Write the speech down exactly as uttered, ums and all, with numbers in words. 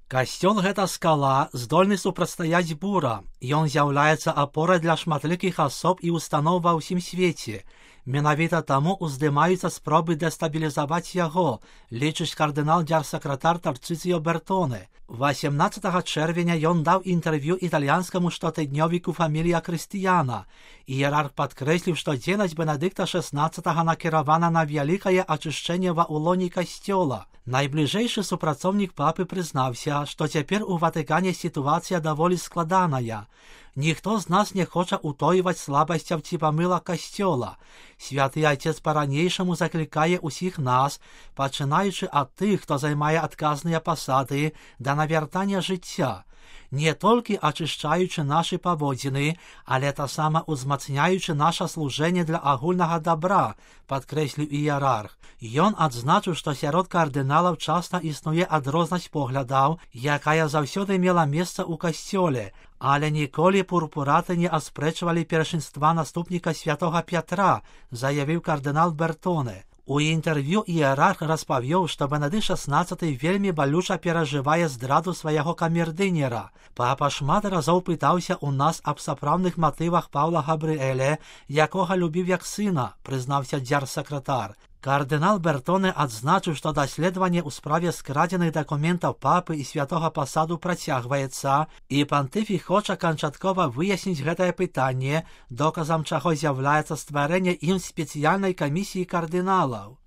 Касцёл гэта скала, здольны супрацьстаяць бура. Ён з'яўляецца апорай для шматлікіх асоб і устаноў ва ўсім свеце. Менавіта таму ўздымаюцца спробы дэстабілізаваць яго, лічыць кардынал дзярсакратар Тарцыцыё Бертоне. восемнадцатага чэрвеня ён даў інтэрв'ю італьянскаму штотыднёвіку «Фамілія Крыстыяна». Іерарх падкрэсліў, што дзейнасць Бенедыкта шэснаццатага накіравана на вялікае ачышчэнне ва ўлоне касцёла. Найбліжэйшы супрацоўнік папы прызнаўся, што цяпер у Ватыкане сітуацыя даволі складаная. Ніхто з нас не хоча ўтойваць слабасцяў ці памылак касцёла. Святы Айцец па-ранейшаму заклікае ўсіх нас, пачынаючы ад тых, хто займае адказныя пасады, да навяртання жыцця, не толькі ачышчаючы нашы паводзіны, але таксама ўзмацняючы наша служэнне для агульнага дабра, падкрэсліў іерарх. Ён адзначыў, што сярод кардыналаў часта існуе адрознасць поглядаў, якая заўсёды мела месца ў касцёле, але ніколі пурпураты не аспрэчвалі першынства наступніка святога Пятра, заявіў кардынал Бертоне. У інтэрв'ю іерарх распавёў, што Бенедыкт шэснаццаты вельмі балюча перажывае здраду свайго камердынера. Папа шмат разоў пытаўся ў нас аб сапраўдных матывах Паўла Габрыэля, якога любіў як сына, прызнаўся дзярсакратар. Кардынал Бертоне адзначыў, што даследаванне ў справе скрадзеных дакументаў папы і святога пасаду працягваецца, і пантыфік хоча канчаткова выясніць гэтае пытанне, доказам чаго з'яўляецца стварэнне ім спецыяльнай камісіі кардыналаў.